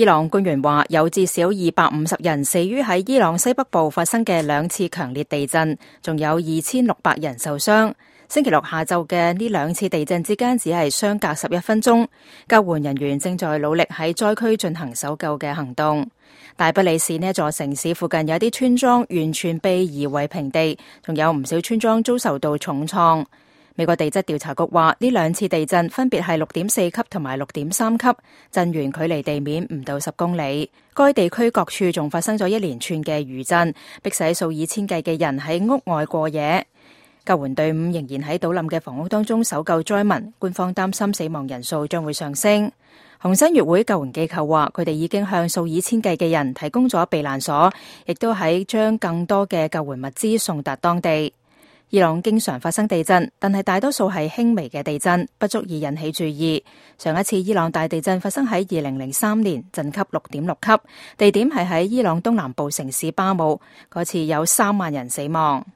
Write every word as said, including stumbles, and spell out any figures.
伊朗官員話，有至少二百五十人死於喺伊朗西北部發生嘅兩次強烈地震，仲有二千六百人受傷。星期六下晝嘅呢兩次地震之間只係相隔十一分鐘，救援人員正在努力喺災區進行搜救嘅行動。大不里市呢座城市附近有啲村莊完全被夷為平地，仲有唔少村莊遭受到重創。美國地質調查局話，呢兩次地震分別係六點四級同埋六點三級，震源距離地面唔到十公里。該地區各處仲發生咗一連串嘅餘震，迫使數以千計嘅人喺屋外過夜。救援隊伍仍然喺倒冧嘅房屋當中搜救災民，官方擔心死亡人數將會上升。紅新月會救援機構話，佢哋已經向數以千計嘅人提供咗避難所，亦都喺將更多嘅救援物資送達當地。伊朗經常發生地震，但係大多數係輕微嘅地震，不足以引起注意。上一次伊朗大地震發生喺二零零三年，震級六點六級，地點係喺伊朗東南部城市巴姆，嗰次有三萬人死亡。